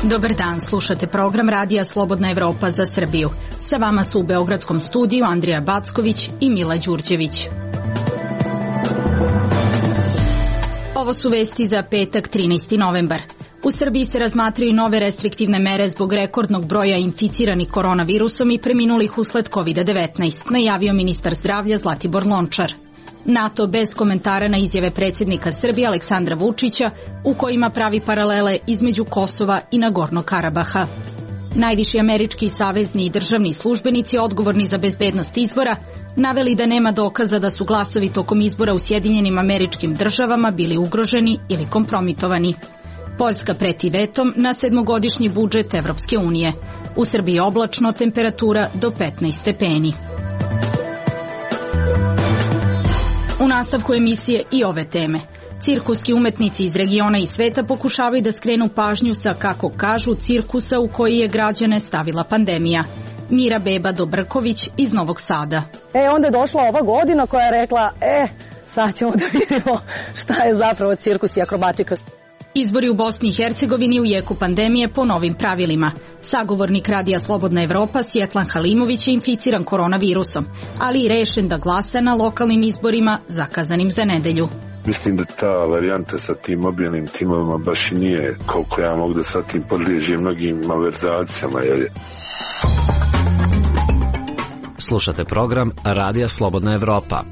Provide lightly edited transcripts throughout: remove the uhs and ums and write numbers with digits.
Dobar dan, slušate program Radija Slobodna Evropa za Srbiju. Sa vama su u beogradskom studiju Andrija Backović i Mila Đurđević. Ovo su vesti za petak 13. novembar. U Srbiji se razmatraju nove restriktivne mere zbog rekordnog broja inficiranih koronavirusom i preminulih usled COVID-19, najavio ministar zdravlja Zlatibor Lončar. NATO bez komentara na izjave predsjednika Srbije Aleksandra Vučića u kojima pravi paralele između Kosova i Nagornog Karabaha. Najviši američki savezni i državni službenici odgovorni za bezbednost izbora naveli da nema dokaza da su glasovi tokom izbora u Sjedinjenim Američkim Državama bili ugroženi ili kompromitovani. Poljska preti vetom na 7-godišnji budžet Evropske unije. U Srbiji oblačno, temperatura do 15 stepeni. U nastavku emisije i ove teme. Cirkuski umetnici iz regiona i sveta pokušavaju da skrenu pažnju sa, kako kažu, cirkusa u koji je građane stavila pandemija. Mira Beba Dobrković iz Novog Sada. Onda je došla ova godina koja je rekla, sad ćemo da vidimo šta je zapravo cirkus i akrobatika. Izbori u Bosni i Hercegovini u jeku pandemije po novim pravilima. Sagovornik Radija Slobodna Evropa Svjetlan Halimović je inficiran koronavirusom, ali i rešen da glasa na lokalnim izborima zakazanim za nedelju. Mislim da ta varijanta sa tim mobilnim timovima baš i nije koliko ja mogu da sa tim podliježem mnogim malverzacijama. Slušate program Radija Slobodna Evropa.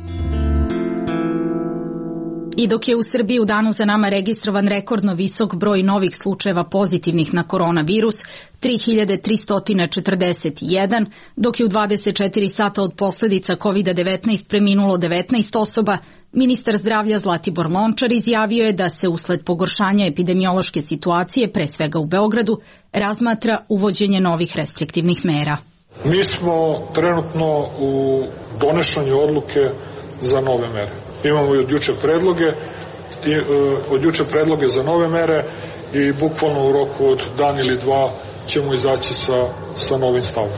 I dok je u Srbiji u danu za nama registrovan rekordno visok broj novih slučajeva pozitivnih na koronavirus, 3341, dok je u 24 sata od posljedica COVID-19 preminulo 19 osoba, ministar zdravlja Zlatibor Lončar izjavio je da se usled pogoršanja epidemiološke situacije, pre svega u Beogradu, razmatra uvođenje novih restriktivnih mera. Mi smo trenutno u donošenju odluke za nove mere. Imamo i od juče predloge za nove mere i bukvalno u roku od dan ili dva ćemo izaći sa novim stavom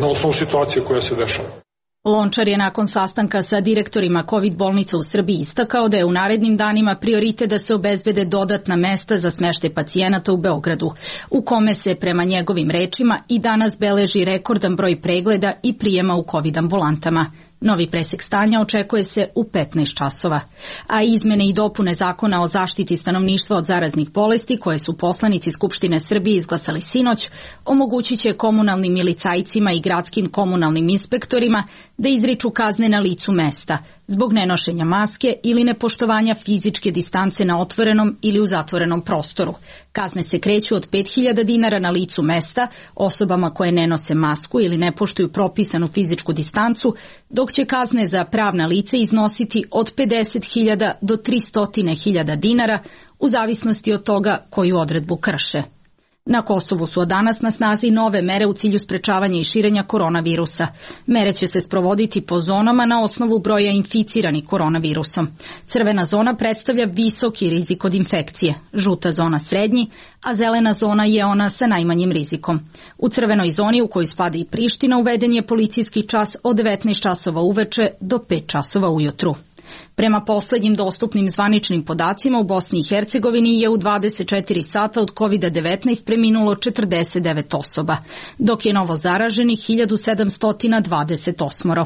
na osnovu situacije koja se dešava. Lončar je nakon sastanka sa direktorima COVID bolnica u Srbiji istakao da je u narednim danima prioritet da se obezbede dodatna mesta za smeštaj pacijenata u Beogradu, u kome se, prema njegovim rečima, i danas beleži rekordan broj pregleda i prijema u COVID ambulantama. Novi presek stanja očekuje se u 15 časova, a izmene i dopune Zakona o zaštiti stanovništva od zaraznih bolesti, koje su poslanici Skupštine Srbije izglasali sinoć, omogućit će komunalnim milicajcima i gradskim komunalnim inspektorima da izriču kazne na licu mesta zbog nenošenja maske ili nepoštovanja fizičke distance na otvorenom ili u zatvorenom prostoru. Kazne se kreću od 5.000 dinara na licu mesta osobama koje ne nose masku ili ne poštuju propisanu fizičku distancu, dok će kazne za pravna lica iznositi od 50.000 do 300.000 dinara u zavisnosti od toga koju odredbu krše. Na Kosovu su od danas na snazi nove mere u cilju sprečavanja i širenja koronavirusa. Mere će se sprovoditi po zonama na osnovu broja inficiranih koronavirusom. Crvena zona predstavlja visoki rizik od infekcije, žuta zona srednji, a zelena zona je ona sa najmanjim rizikom. U crvenoj zoni, u kojoj spada i Priština, uveden je policijski čas od 19 časova uveče do 5 časova ujutru. Prema poslednjim dostupnim zvaničnim podacima u Bosni i Hercegovini je u 24 sata od COVID-19 preminulo 49 osoba, dok je novo zaraženih 1728.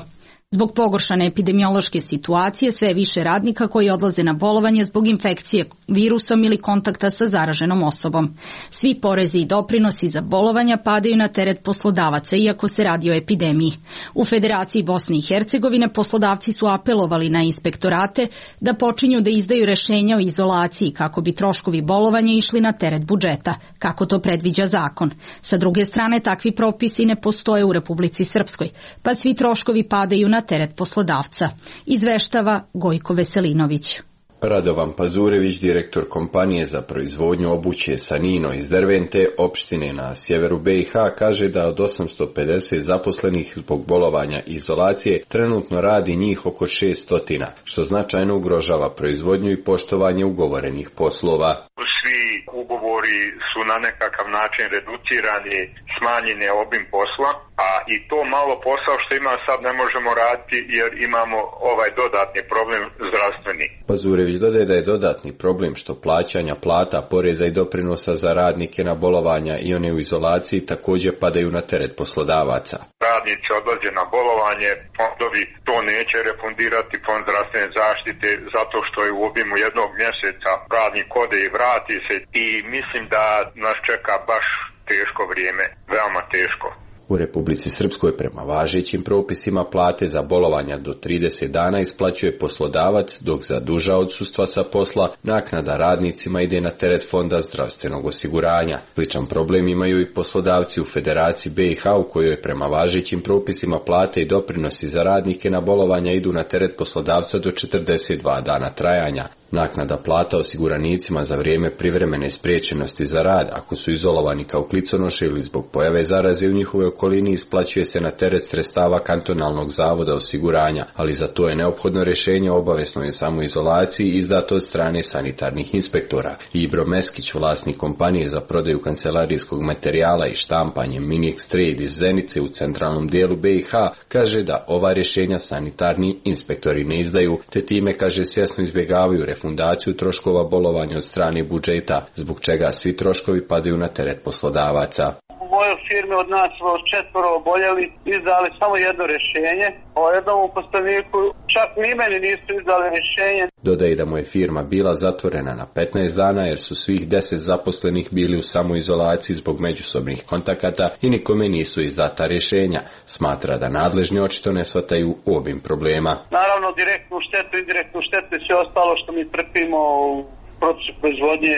Zbog pogoršane epidemiološke situacije sve više radnika koji odlaze na bolovanje zbog infekcije virusom ili kontakta sa zaraženom osobom. Svi porezi i doprinosi za bolovanja padaju na teret poslodavaca, iako se radi o epidemiji. U Federaciji Bosne i Hercegovine poslodavci su apelovali na inspektorate da počinju da izdaju rešenja o izolaciji kako bi troškovi bolovanja išli na teret budžeta, kako to predviđa zakon. Sa druge strane, takvi propisi ne postoje u Republici Srpskoj, pa svi troškovi padaju na teret poslodavca, izveštava Gojko Veselinović. Radovan Pazurević, direktor kompanije za proizvodnju obuće Sanino iz Dervente, opštine na sjeveru BiH, kaže da od 850 zaposlenih zbog bolovanja i izolacije trenutno radi njih oko 600, što značajno ugrožava proizvodnju i poštovanje ugovorenih poslova. Svi ugovori ugovori su na nekakav način reducirani, smanjen je obim posla, a i to malo posao što ima sad ne možemo raditi jer imamo ovaj dodatni problem zdravstveni. Pazurević dodaje da je dodatni problem što plaćanja plata, poreza i doprinosa za radnike na bolovanja i one u izolaciji također padaju na teret poslodavaca. Radnici odlaze na bolovanje, fondovi to neće refundirati, fond zdravstvene zaštite, zato što je u obimu jednog mjeseca radnik ode i vrati se i mislim da nas čeka baš teško vrijeme, veoma teško. U Republici Srpskoj prema važećim propisima plate za bolovanja do 30 dana isplaćuje poslodavac, dok za duža odsustva sa posla naknada radnicima ide na teret Fonda zdravstvenog osiguranja. Sličan problem imaju i poslodavci u Federaciji BiH u kojoj prema važećim propisima plate i doprinosi za radnike na bolovanja idu na teret poslodavca do 42 dana trajanja. Naknada plata osiguranicima za vrijeme privremene spriječenosti za rad, ako su izolovani kao kliconoše ili zbog pojave zaraze u njihovoj okolini, isplaćuje se na teret sredstava kantonalnog zavoda osiguranja, ali za to je neophodno rješenje o obaveznoj samoizolaciji izdato od strane sanitarnih inspektora. Ibro Meskić, vlasnik kompanije za prodaju kancelarijskog materijala i štampanje Minix Trade iz Zenice u centralnom dijelu BiH, kaže da ova rješenja sanitarni inspektori ne izdaju, te time, kaže, svjesno izbjegavaju refundaciju troškova bolovanja od strane budžeta, zbog čega svi troškovi padaju na teret poslodavaca. U mojoj firmi od nas 4 oboljeli, izdali samo jedno rješenje, o jednom uposleniku, čak ni meni nisu izdali rješenje. Dodaje da mu je firma bila zatvorena na 15 dana jer su svih 10 zaposlenih bili u samoizolaciji zbog međusobnih kontakata i nikome nisu izdata rješenja. Smatra da nadležni očito ne shvataju obim problema. Naravno, direktnu štetu, indirektnu štetu i sve ostalo što mi trpimo u procesu proizvodnje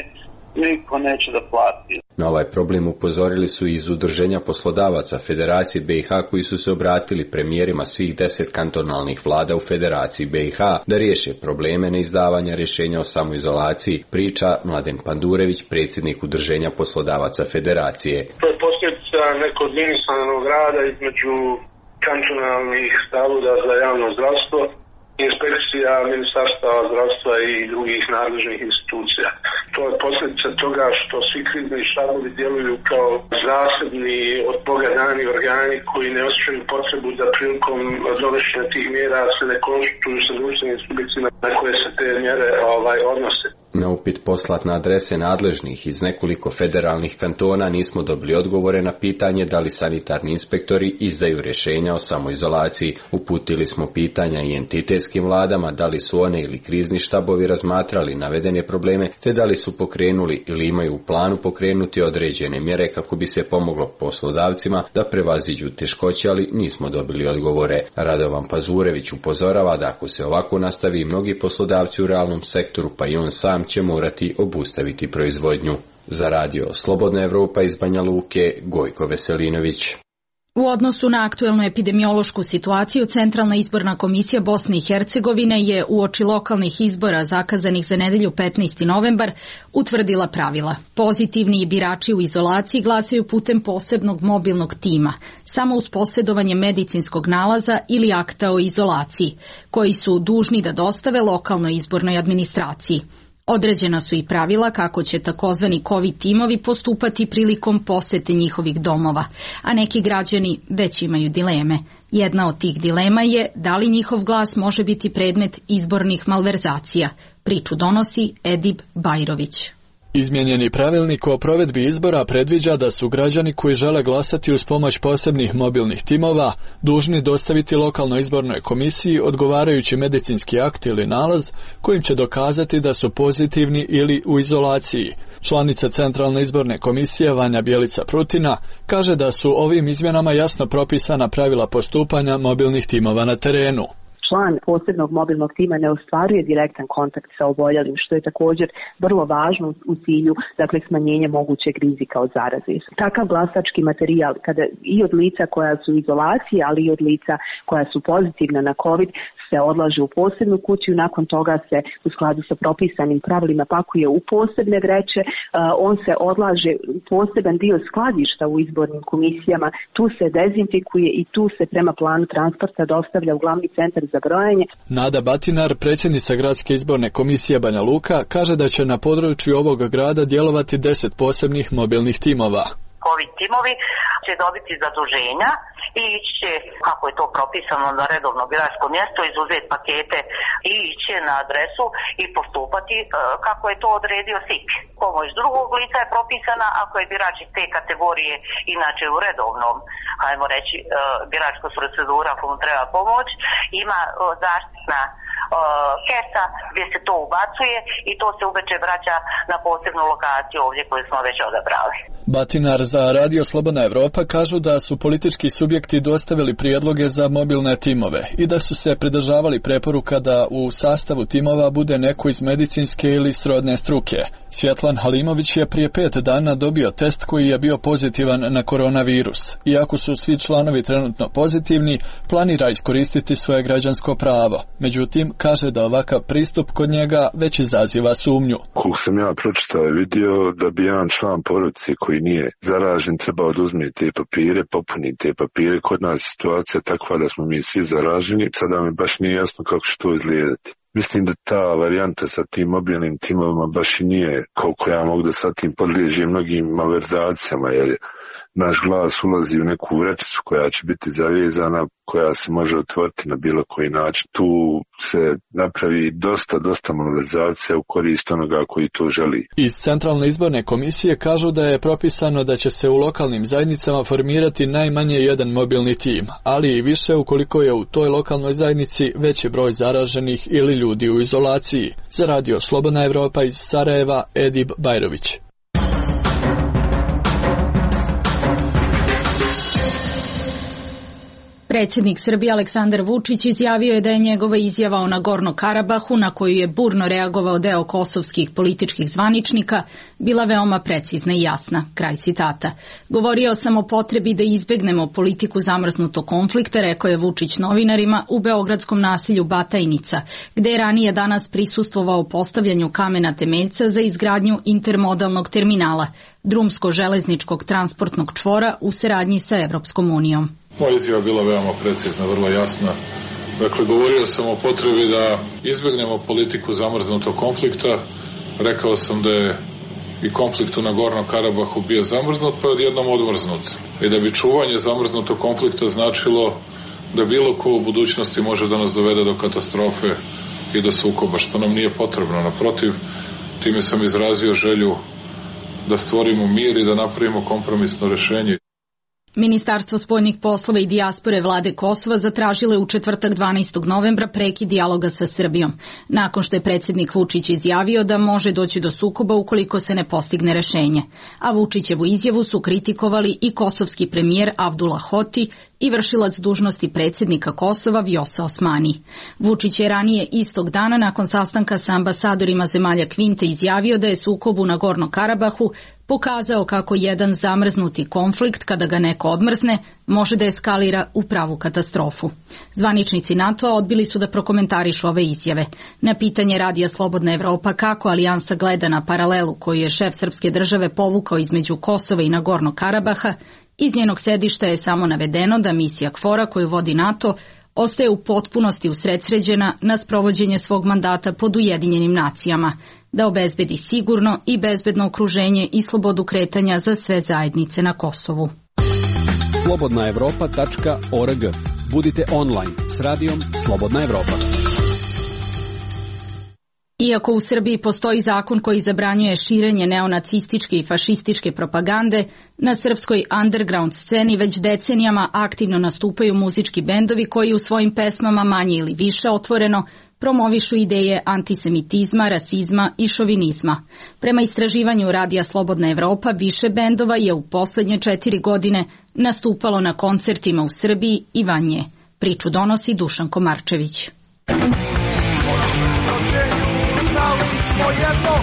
niko neće da plati. Na ovaj problem upozorili su iz Udruženja poslodavaca Federacije BiH koji su se obratili premijerima svih 10 kantonalnih vlada u Federaciji BiH da riješe probleme neizdavanja rješenja o samoizolaciji, priča Mladen Pandurević, predsjednik Udruženja poslodavaca Federacije. To je posljedica nekoordiniranog rada između kantonalnih zavoda za javno zdravstvo, inspekcija Ministarstva zdravstva i drugih nadležnih institucija. To je posljedica toga što svi krizni štabovi djeluju kao zasebni od Boga dani organi koji ne osjećaju potrebu da prilikom donošenja tih mjera se ne konsultuju sa društvenim subjektima na koje se te mjere odnose. Na upit poslat na adrese nadležnih iz nekoliko federalnih kantona nismo dobili odgovore na pitanje da li sanitarni inspektori izdaju rješenja o samoizolaciji. Uputili smo pitanja i entitetskim vladama da li su one ili krizni štabovi razmatrali navedene probleme, te da li su pokrenuli ili imaju u planu pokrenuti određene mjere kako bi se pomoglo poslodavcima da prevaziđu teškoće, ali nismo dobili odgovore. Radovan Pazurević upozorava da ako se ovako nastavi, mnogi poslodavci u realnom sektoru, pa i on sam, će morati obustaviti proizvodnju. Za radio Slobodna Evropa iz Banja Luke, Gojko Veselinović. U odnosu na aktuelnu epidemiološku situaciju, Centralna izborna komisija Bosne i Hercegovine je uoči lokalnih izbora zakazanih za nedelju 15. novembar utvrdila pravila. Pozitivni birači u izolaciji glasaju putem posebnog mobilnog tima, samo uz posjedovanje medicinskog nalaza ili akta o izolaciji, koji su dužni da dostave lokalnoj izbornoj administraciji. Određena su i pravila kako će takozvani COVID timovi postupati prilikom posete njihovih domova, a neki građani već imaju dileme. Jedna od tih dilema je da li njihov glas može biti predmet izbornih malverzacija. Priču donosi Edib Bajrović. Izmijenjeni pravilnik o provedbi izbora predviđa da su građani koji žele glasati uz pomoć posebnih mobilnih timova dužni dostaviti lokalnoj izbornoj komisiji odgovarajući medicinski akt ili nalaz kojim će dokazati da su pozitivni ili u izolaciji. Članica Centralne izborne komisije Vanja Bjelica Prutina kaže da su ovim izmjenama jasno propisana pravila postupanja mobilnih timova na terenu. Član posebnog mobilnog tima ne ostvaruje direktan kontakt sa oboljelim, što je također vrlo važno u cilju smanjenja mogućeg rizika od zaraze. Takav glasački materijal, kada i od lica koja su u izolaciji, ali i od lica koja su pozitivna na COVID, se odlaže u posebnu kuću, nakon toga se u skladu sa propisanim pravilima pakuje u posebne vreće, on se odlaže u poseban dio skladišta u izbornim komisijama, tu se dezinfikuje i tu se prema planu transporta dostavlja u glavni centar za za brojanje. Nada Batinar, predsjednica Gradske izborne komisije Banja Luka, kaže da će na području ovog grada djelovati 10 posebnih mobilnih timova. Covid timovi će dobiti zaduženja i ići će, kako je to propisano, na redovno biračko mjesto, izuzeti pakete i ići na adresu i postupati kako je to odredio SIK. Pomoć drugog lica je propisana ako je birač iz te kategorije, inače u redovnom, hajmo reći, biračka procedura komu treba pomoć, ima zaštitna kesa gdje se to ubacuje i to se uveče vraća na posebnu lokaciju ovdje koju smo već odabrali. Batinar za Radio Slobodna Evropa kažu da su politički subjekti dostavili prijedloge za mobilne timove i da su se pridržavali preporuka da u sastavu timova bude neko iz medicinske ili srodne struke. Svjetlan Halimović je prije 5 dana dobio test koji je bio pozitivan na koronavirus. Iako su svi članovi trenutno pozitivni, planira iskoristiti svoje građansko pravo. Međutim, kaže da ovakav pristup kod njega već izaziva sumnju. Koliko sam ja pročitao i vidio da bi jedan član porodice koji nije zaražen trebao da uzme te papire, popuni te papire. Kod nas je situacija takva da smo mi svi zaraženi. Sada mi baš nije jasno kako će to izgledati. Mislim da ta varijanta sa tim mobilnim timovima baš i nije, koliko ja mogu da sa tim podliježe mnogim malverzacijama, jer naš glas ulazi u neku vrećicu koja će biti zavezana, koja se može otvoriti na bilo koji način. Tu se napravi dosta malverzacija u korist onoga koji to želi. Iz Centralne izborne komisije kažu da je propisano da će se u lokalnim zajednicama formirati najmanje jedan mobilni tim, ali i više ukoliko je u toj lokalnoj zajednici veći broj zaraženih ili ljudi u izolaciji. Za Radio Slobodna Evropa iz Sarajeva, Edib Bajrović. Predsjednik Srbije Aleksandar Vučić izjavio je da je njegova izjava o Nagorno Karabahu, na koju je burno reagovao deo kosovskih političkih zvaničnika, bila veoma precizna i jasna. Kraj citata. Govorio sam o potrebi da izbegnemo politiku zamrznutog konflikta, rekao je Vučić novinarima u beogradskom naselju Batajnica, gde je ranije danas prisustvovao postavljanju kamena temeljca za izgradnju intermodalnog terminala, drumsko-železničkog transportnog čvora u saradnji sa Evropskom unijom. Moja izjava bila veoma precizna, vrlo jasna. Dakle, govorio sam o potrebi da izbjegnemo politiku zamrznutog konflikta. Rekao sam da je i konflikt u Nagornom Karabahu bio zamrznut, pa je odjednom odmrznut. I da bi čuvanje zamrznutog konflikta značilo da bilo ko u budućnosti može da nas dovede do katastrofe i do sukoba, što nam nije potrebno. Naprotiv, time sam izrazio želju da stvorimo mir i da napravimo kompromisno rješenje. Ministarstvo spoljnih poslova i dijaspore vlade Kosova zatražilo je u četvrtak 12. novembra prekid dijaloga sa Srbijom, nakon što je predsjednik Vučić izjavio da može doći do sukoba ukoliko se ne postigne rešenje. A Vučićevu izjavu su kritikovali i kosovski premijer Abdullah Hoti i vršilac dužnosti predsjednika Kosova Vjosa Osmani. Vučić je ranije istog dana nakon sastanka sa ambasadorima zemalja Kvinte izjavio da je sukob u Nagorno Karabahu pokazao kako jedan zamrznuti konflikt, kada ga neko odmrzne, može da eskalira u pravu katastrofu. Zvaničnici NATO-a odbili su da prokomentarišu ove izjave. Na pitanje Radija Slobodna Evropa kako alijansa gleda na paralelu koju je šef srpske države povukao između Kosova i Nagorno Karabaha, iz njenog sedišta je samo navedeno da misija KFOR-a koju vodi NATO ostaje u potpunosti usredsređena na sprovođenje svog mandata pod Ujedinjenim nacijama, da obezbedi sigurno i bezbedno okruženje i slobodu kretanja za sve zajednice na Kosovu. slobodnaevropa.org. Budite online s radijom Slobodna Evropa. Iako u Srbiji postoji zakon koji zabranjuje širenje neonacističke i fašističke propagande, na srpskoj underground sceni već decenijama aktivno nastupaju muzički bendovi koji u svojim pesmama manje ili više otvoreno promovišu ideje antisemitizma, rasizma i šovinizma. Prema istraživanju Radija Slobodna Evropa, više bendova je u posljednje 4 godine nastupalo na koncertima u Srbiji i van nje. Priču donosi Dušan Komarčević. Smo jedno,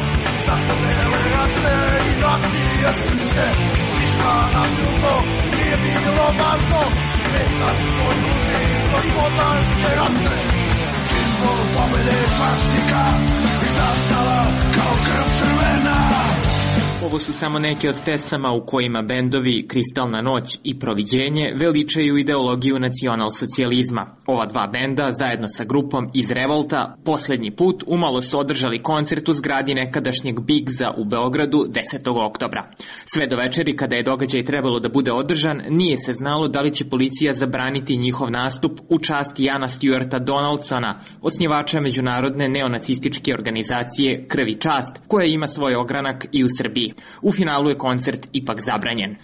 da smo bele rase i nacije srpske, ništa nam drugo nije bilo važno, već da smo ljudi gospodarske rase. Simbol pobjede svastika i zastava kao krv crvena. Ovo su samo neke od pesama u kojima bendovi Kristalna noć i Proviđenje veličaju ideologiju nacionalsocijalizma. Ova dva benda, zajedno sa grupom iz Revolta, poslednji put umalo su održali koncert u zgradi nekadašnjeg Bigza u Beogradu 10. oktobra. Sve do večeri, kada je događaj trebalo da bude održan, nije se znalo da li će policija zabraniti njihov nastup u čast Jana Stuarta Donaldsona, osnivača međunarodne neonacističke organizacije Krv i čast, koja ima svoj ogranak i u Srbiji. U finalu je koncert ipak zabranjen.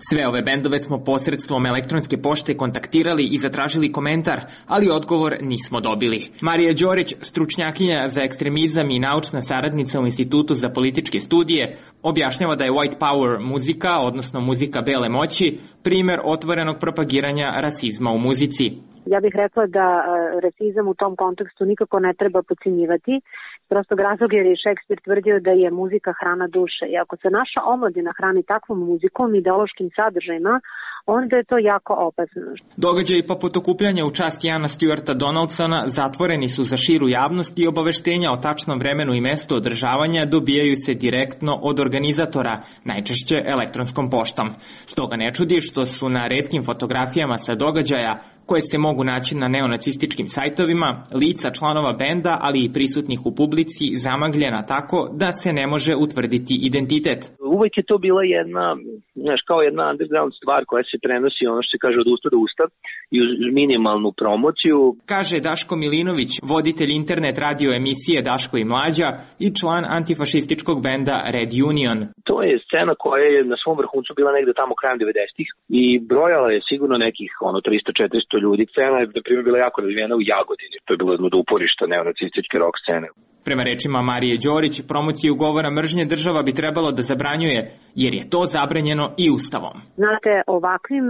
Sve ove bendove smo posredstvom elektronske pošte kontaktirali i zatražili komentar, ali odgovor nismo dobili. Marija Đorić, stručnjakinja za ekstremizam i naučna saradnica u Institutu za političke studije, objašnjava da je White Power muzika, odnosno muzika bele moći, primer otvorenog propagiranja rasizma u muzici. Ja bih rekla da rasizam u tom kontekstu nikako ne treba podcenjivati. Prostog razloga jer je Šekspir tvrdio da je muzika hrana duše. I ako se naša omladina hrani takvom muzikom, ideološkim sadržajima, onda je to jako opasno. Događaji poput okupljanja u čast Jana Stuarta Donaldsona zatvoreni su za širu javnost i obaveštenja o tačnom vremenu i mestu održavanja dobijaju se direktno od organizatora, najčešće elektronskom poštom. Stoga ne čudi što su na retkim fotografijama sa događaja, koje se mogu naći na neonacističkim sajtovima, lica članova benda, ali i prisutnih u publici, zamagljena tako da se ne može utvrditi identitet. Uvijek je to bila jedna, kao jedna underground stvar koja se prenosi, ono što se kaže, od usta do usta i uz minimalnu promociju. Kaže Daško Milinović, voditelj internet radio emisije Daško i Mlađa i član antifašističkog benda Red Union. To je scena koja je na svom vrhuncu bila negde tamo krajem 90-ih i brojala je sigurno nekih 300-400 ljudi. Scena je, na primjer, bila jako razvijena u Jagodini. To je bilo jedno od uporišta neonacističke rock scene. Prema rečima Marije Đorić, promociju govora mržnje država bi trebalo da zabranjuje, jer je to zabranjeno i Ustavom. Znate, ovakvim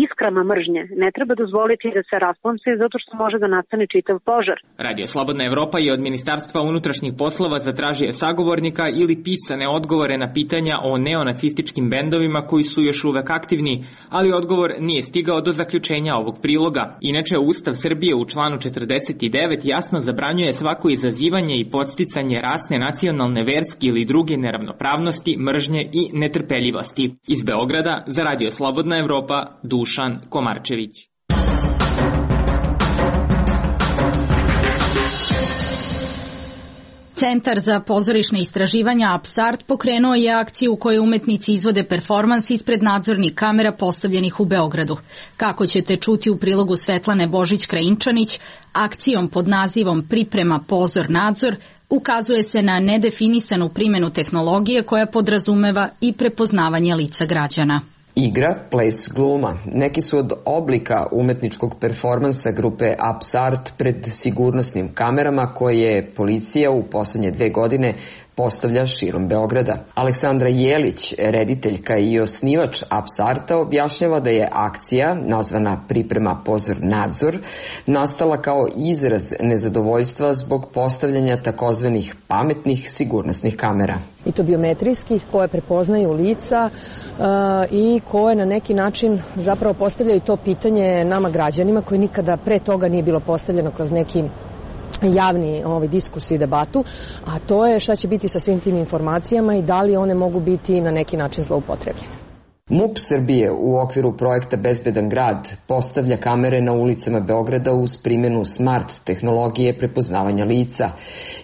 iskrama mržnje ne treba dozvoliti da se rasplamse zato što može da nastane čitav požar. Radio Slobodna Evropa je od Ministarstva unutrašnjih poslova zatražio sagovornika ili pisane odgovore na pitanja o neonacističkim bendovima koji su još uvek aktivni, ali odgovor nije stigao do zaključenja ovog priloga. Inače, Ustav Srbije u članu 49 jasno zabranjuje svako izazivanje i podsticanje rasne, nacionalne, verske ili druge neravnopravnosti, mržnje i netrpeljivosti. Iz Beograda za Radio Slobodna Evropa, Dušan Komarčević. Centar za pozorišne istraživanja Apsart pokrenuo je akciju u kojoj umetnici izvode performans ispred nadzornih kamera postavljenih u Beogradu. Kako ćete čuti u prilogu Svetlane Božić-Krajinčanić, akcijom pod nazivom Priprema pozor nadzor ukazuje se na nedefinisanu primjenu tehnologije koja podrazumeva i prepoznavanje lica građana. Igra, ples, gluma. Neki su od oblika umetničkog performansa grupe Apsart pred sigurnosnim kamerama koje policija u poslednje 2 godine postavlja širom Beograda. Aleksandra Jelić, rediteljka i osnivač Apsarta, objašnjava da je akcija, nazvana Priprema pozor nadzor, nastala kao izraz nezadovoljstva zbog postavljanja takozvanih pametnih sigurnosnih kamera. I to biometrijskih koje prepoznaju lica i koje na neki način zapravo postavljaju to pitanje nama građanima koji nikada pre toga nije bilo postavljeno kroz neki javni diskusiju i debatu, a to je šta će biti sa svim tim informacijama i da li one mogu biti na neki način zloupotrebljene. MUP Srbije u okviru projekta Bezbedan grad postavlja kamere na ulicama Beograda uz primjenu smart tehnologije prepoznavanja lica.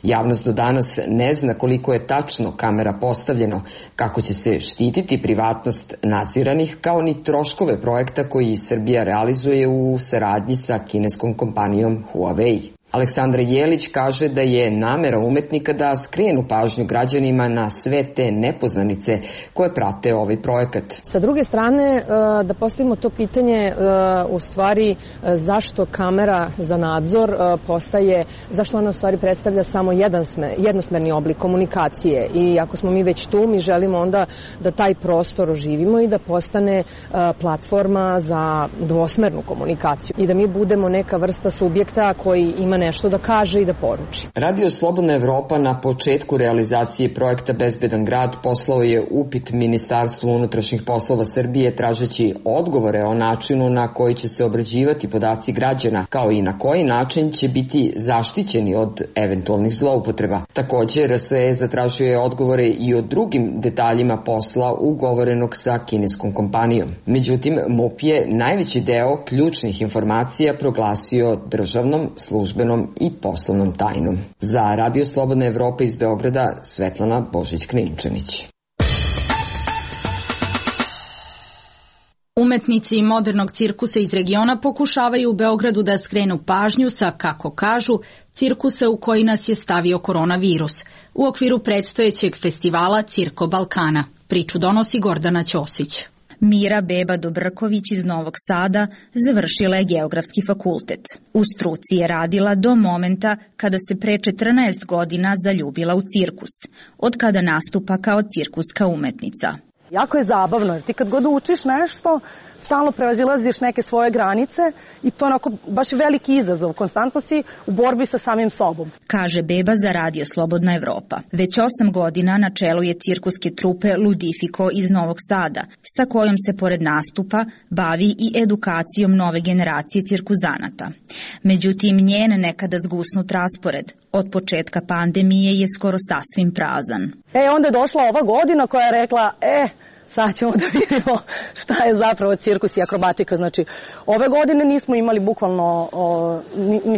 Javnost do danas ne zna koliko je tačno kamera postavljeno, kako će se štititi privatnost nadziranih, kao ni troškove projekta koji Srbija realizuje u saradnji sa kineskom kompanijom Huawei. Aleksandra Jelić kaže da je namera umetnika da skrenu pažnju građanima na sve te nepoznanice koje prate ovaj projekat. Sa druge strane, da postavimo to pitanje u stvari zašto kamera za nadzor postaje, zašto ona u stvari predstavlja samo jednosmerni oblik komunikacije i ako smo mi već tu, mi želimo onda da taj prostor oživimo i da postane platforma za dvosmernu komunikaciju i da mi budemo neka vrsta subjekta koji ima nešto da kaže i da poruči. Radio Slobodna Evropa na početku realizacije projekta Bezbedan grad poslao je upit Ministarstvu unutrašnjih poslova Srbije tražeći odgovore o načinu na koji će se obrađivati podaci građana, kao i na koji način će biti zaštićeni od eventualnih zloupotreba. Takođe, RSE zatražio je odgovore i o drugim detaljima posla ugovorenog sa kineskom kompanijom. Međutim, MUP je najveći deo ključnih informacija proglasio državnom, službenom i poslovnom tajnom. Za Radio Slobodna Evropa iz Beograda, Svetlana Božić-Kninčanić. Umetnici modernog cirkusa iz regiona pokušavaju u Beogradu da skrenu pažnju sa, kako kažu, cirkusa u koji nas je stavio koronavirus, u okviru predstojećeg festivala Cirko Balkana. Priču donosi Gordana Ćosić. Mira Beba Dobrković iz Novog Sada završila je Geografski fakultet. U struci je radila do momenta kada se pre 14 godina zaljubila u cirkus, od kada nastupa kao cirkuska umetnica. Jako je zabavno, jer ti kad god učiš nešto, stalno prevazilaziš neke svoje granice i to je onako baš veliki izazov. Konstantno si u borbi sa samim sobom. Kaže Beba za Radio Slobodna Evropa. Već 8 godina na čelu je cirkuske trupe Ludifiko iz Novog Sada, sa kojom se pored nastupa bavi i edukacijom nove generacije cirkuzanata. Međutim, njen nekada zgusnut raspored od početka pandemije je skoro sasvim prazan. Onda je došla ova godina koja je rekla, sad ćemo da vidimo šta je zapravo cirkus i akrobatika. Znači, ove godine nismo imali bukvalno,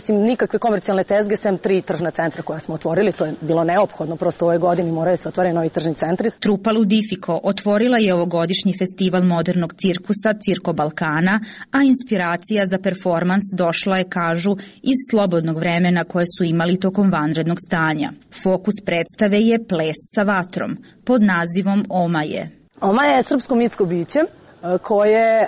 nikakve komercijalne tezge, sem 3 tržna centra koja smo otvorili. To je bilo neophodno, prosto u ovoj godini moraju se otvoriti novi tržni centri. Trupa Ludifiko otvorila je ovogodišnji festival modernog cirkusa Cirko Balkana, a inspiracija za performans došla je, kažu, iz slobodnog vremena koje su imali tokom vanrednog stanja. Fokus predstave je ples sa vatrom, pod nazivom Omaje. Omaja je srpsko mitsko biće koje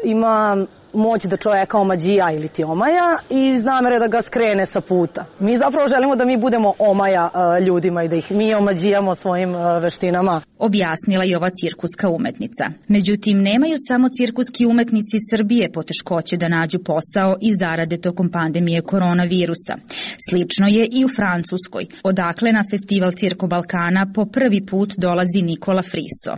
ima moć da čoveka omađija ili ti omaja i namere da ga skrene sa puta. Mi zapravo želimo da mi budemo omaja ljudima i da ih mi omađijamo svojim veštinama. Objasnila je ova cirkuska umetnica. Međutim, nemaju samo cirkuski umetnici Srbije poteškoće da nađu posao i zarade tokom pandemije koronavirusa. Slično je i u Francuskoj, odakle na festival Cirko Balkana po prvi put dolazi Nikola Friso.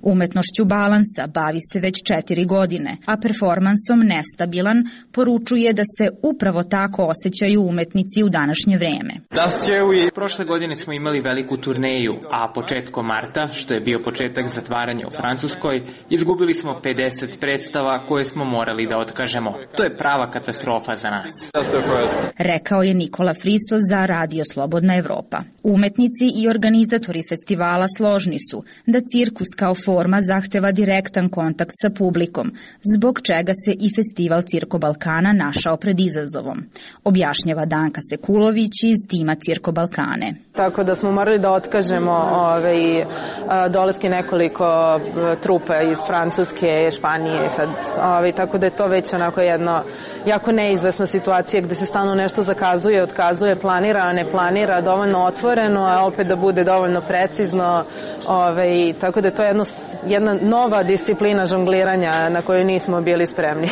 Umetnošću balansa bavi se već 4 godine, a performansom nestabilan poručuje da se upravo tako osjećaju umetnici u današnje vreme. Prošle godine smo imali veliku turneju, a početkom marta, što je bio početak zatvaranja u Francuskoj, izgubili smo 50 predstava koje smo morali da otkažemo. To je prava katastrofa za nas. Rekao je Nikola Friso za Radio Slobodna Evropa. Umetnici i organizatori festivala složni su da cirkus kao forma zahteva direktan kontakt sa publikom, zbog čega se i festival Cirko Balkana našao pred izazovom. Objašnjava Danka Sekulović iz tima Cirko Balkane. Tako da smo morali da otkažemo dolaske nekoliko trupa iz Francuske, Španije, tako da je to već onako jedno jako neizvesna situacija gde se stalno nešto zakazuje, otkazuje, planira, a ne planira, dovoljno otvoreno, a opet da bude dovoljno precizno, tako da je to jedna nova disciplina žongliranja na koju nismo bili spremni.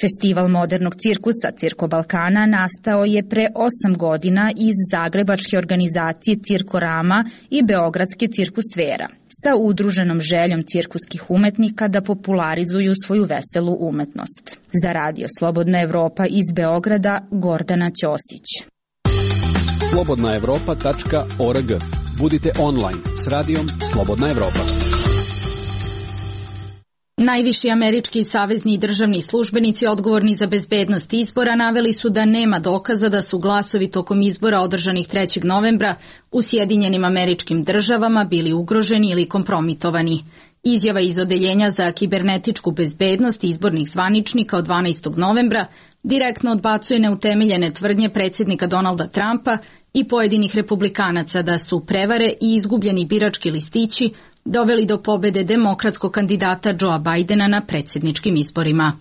Festival modernog cirkusa Cirko Balkana nastao je pre 8 godina iz zagrebačke organizacije Cirkorama i beogradske Cirkusfera, sa udruženom željom cirkuskih umetnika da popularizuju svoju veselu umetnost. Za Radio Slobodna Evropa iz Beograda, Gordana Ćosić. slobodnaevropa.org. Budite online s radijom Slobodna Evropa. Najviši američki i savezni državni službenici odgovorni za bezbednost izbora naveli su da nema dokaza da su glasovi tokom izbora održanih 3. novembra u Sjedinjenim Američkim Državama bili ugroženi ili kompromitovani. Izjava iz Odeljenja za kibernetičku bezbednost izbornih zvaničnika od 12. novembra direktno odbacuje neutemeljene tvrdnje predsjednika Donalda Trumpa i pojedinih republikanaca da su prevare i izgubljeni birački listići doveli do pobede demokratskog kandidata Joea Bidena na predsjedničkim izborima.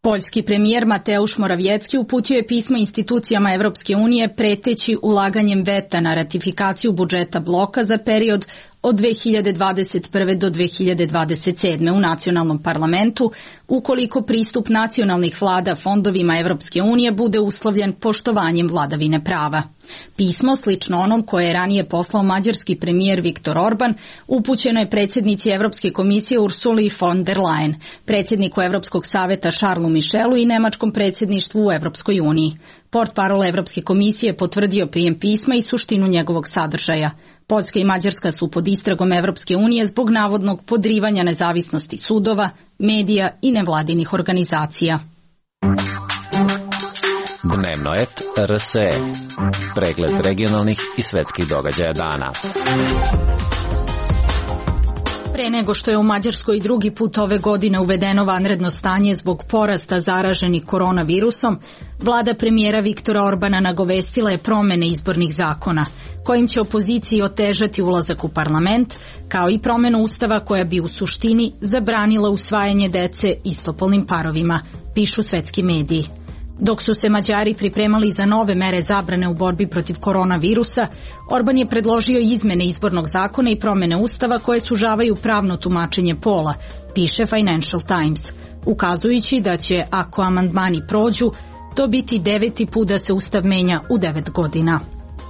Poljski premijer Mateusz Morawiecki uputio je pismo institucijama Evropske unije preteći ulaganjem veta na ratifikaciju budžeta bloka za period od 2021. do 2027. u nacionalnom parlamentu, ukoliko pristup nacionalnih vlada fondovima Evropske unije bude uslovljen poštovanjem vladavine prava. Pismo, slično onom koje je ranije poslao mađarski premijer Viktor Orban, upućeno je predsjednici Evropske komisije Ursuli von der Leyen, predsjedniku Evropskog saveta Charlesu Michelu i nemačkom predsjedništvu u Evropskoj uniji. Portparol Evropske komisije potvrdio prijem pisma i suštinu njegovog sadržaja. Poljska i Mađarska su pod istragom Evropske unije zbog navodnog podrivanja nezavisnosti sudova, medija i nevladinih organizacija. Dnevno et RSE. Pregled regionalnih i svetskih događaja dana. Pre nego što je u Mađarskoj drugi put ove godine uvedeno vanredno stanje zbog porasta zaraženih koronavirusom, vlada premijera Viktora Orbana nagovestila je promene izbornih zakona, kojim će opoziciji otežati ulazak u parlament, kao i promenu ustava koja bi u suštini zabranila usvajanje dece istopolnim parovima, pišu svetski mediji. Dok su se Mađari pripremali za nove mere zabrane u borbi protiv koronavirusa, Orban je predložio izmene izbornog zakona i promene ustava koje sužavaju pravno tumačenje pola, piše Financial Times, ukazujući da će, ako amandmani prođu, to biti 9. put da se ustav menja u 9 godina.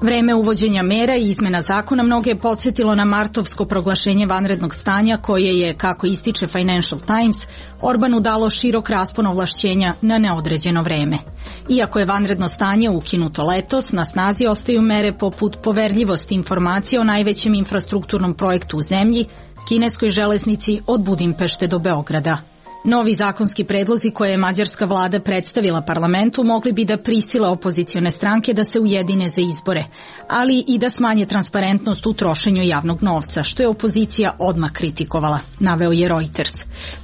Vreme uvođenja mera i izmena zakona mnoge je podsjetilo na martovsko proglašenje vanrednog stanja koje je, kako ističe Financial Times, Orbanu dalo širok raspon ovlašćenja na neodređeno vreme. Iako je vanredno stanje ukinuto letos, na snazi ostaju mere poput poverljivosti informacije o najvećem infrastrukturnom projektu u zemlji, kineskoj železnici od Budimpešte do Beograda. Novi zakonski predlozi koje je mađarska vlada predstavila parlamentu mogli bi da prisile opozicione stranke da se ujedine za izbore, ali i da smanje transparentnost u trošenju javnog novca, što je opozicija odmah kritikovala, naveo je Reuters.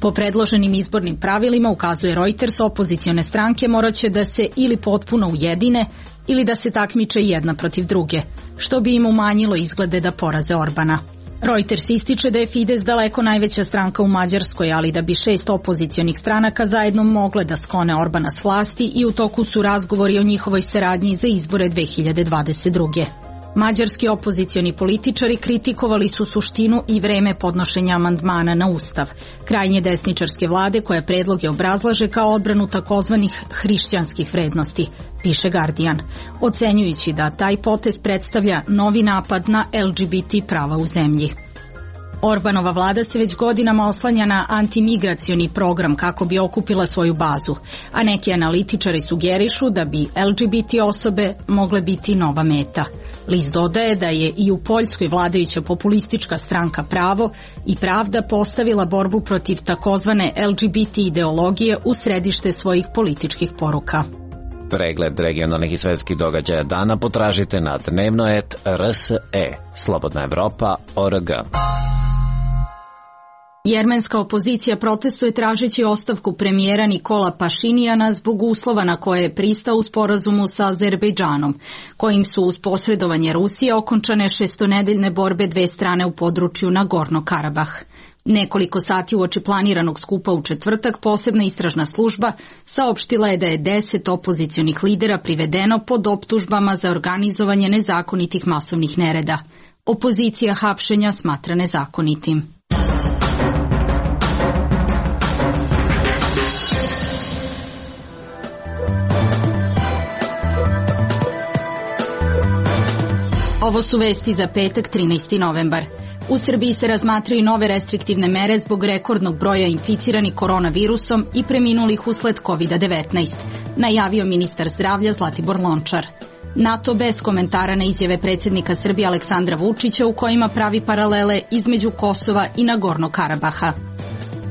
Po predloženim izbornim pravilima, ukazuje Reuters, opozicione stranke moraće da se ili potpuno ujedine ili da se takmiče jedna protiv druge, što bi im umanjilo izglede da poraze Orbana. Reuters ističe da je Fides daleko najveća stranka u Mađarskoj, ali da bi 6 opozicionih stranaka zajedno mogle da sklone Orbana s vlasti i u toku su razgovori o njihovoj saradnji za izbore 2022. Mađarski opozicioni političari kritikovali su suštinu i vreme podnošenja amandmana na Ustav, krajnje desničarske vlade koja predloge obrazlaže kao odbranu takozvanih hrišćanskih vrednosti, piše Guardian, ocenjujući da taj potez predstavlja novi napad na LGBT prava u zemlji. Orbanova vlada se već godinama oslanja na antimigracioni program kako bi okupila svoju bazu, a neki analitičari sugerišu da bi LGBT osobe mogle biti nova meta. List dodaje da je i u Poljskoj vladajuća populistička stranka Pravo i Pravda postavila borbu protiv takozvane LGBT ideologije u središte svojih političkih poruka. Pregled regionalnih i svetskih događaja dana potražite na dnevno.rs.e. Slobodna Evropa.org. Jermenska opozicija protestuje tražeći ostavku premijera Nikola Pašinijana zbog uslova na koje je pristao u sporazumu sa Azerbejdžanom, kojim su uz posredovanje Rusije okončane šestonedeljne borbe dve strane u području Nagorno-Karabah. Nekoliko sati uoči planiranog skupa u četvrtak posebna istražna služba saopštila je da je 10 opozicionih lidera privedeno pod optužbama za organizovanje nezakonitih masovnih nereda. Opozicija hapšenja smatra nezakonitim. Ovo su vesti za petak 13. novembar. U Srbiji se razmatraju nove restriktivne mere zbog rekordnog broja inficiranih koronavirusom i preminulih usled COVID-19, najavio ministar zdravlja Zlatibor Lončar. NATO bez komentara na izjave predsjednika Srbije Aleksandra Vučića u kojima pravi paralele između Kosova i Nagorno-Karabaha.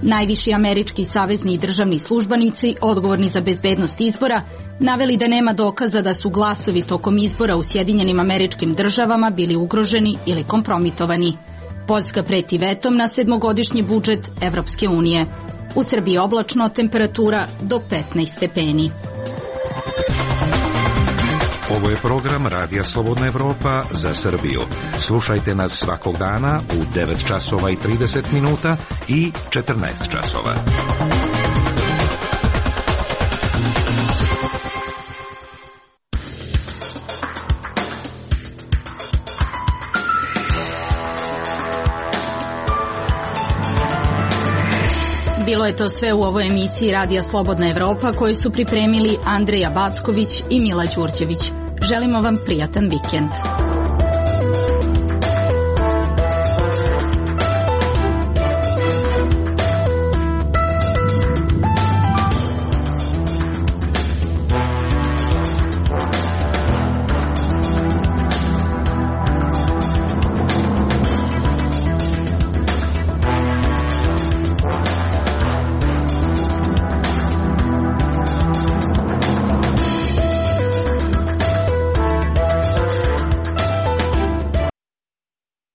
Najviši američki savezni i državni službenici, odgovorni za bezbednost izbora, naveli da nema dokaza da su glasovi tokom izbora u Sjedinjenim Američkim Državama bili ugroženi ili kompromitovani. Poljska preti vetom na 7-godišnji budžet Evropske unije. U Srbiji oblačno, temperatura do 15 stepeni. Ovo je program Radija Slobodna Evropa za Srbiju. Slušajte nas svakog dana u 9 časova i 30 minuta i 14 časova. Bilo je to sve u ovoj emisiji Radija Slobodna Evropa koju su pripremili Andreja Backović i Mila Đurđević. Želimo vam prijatan vikend.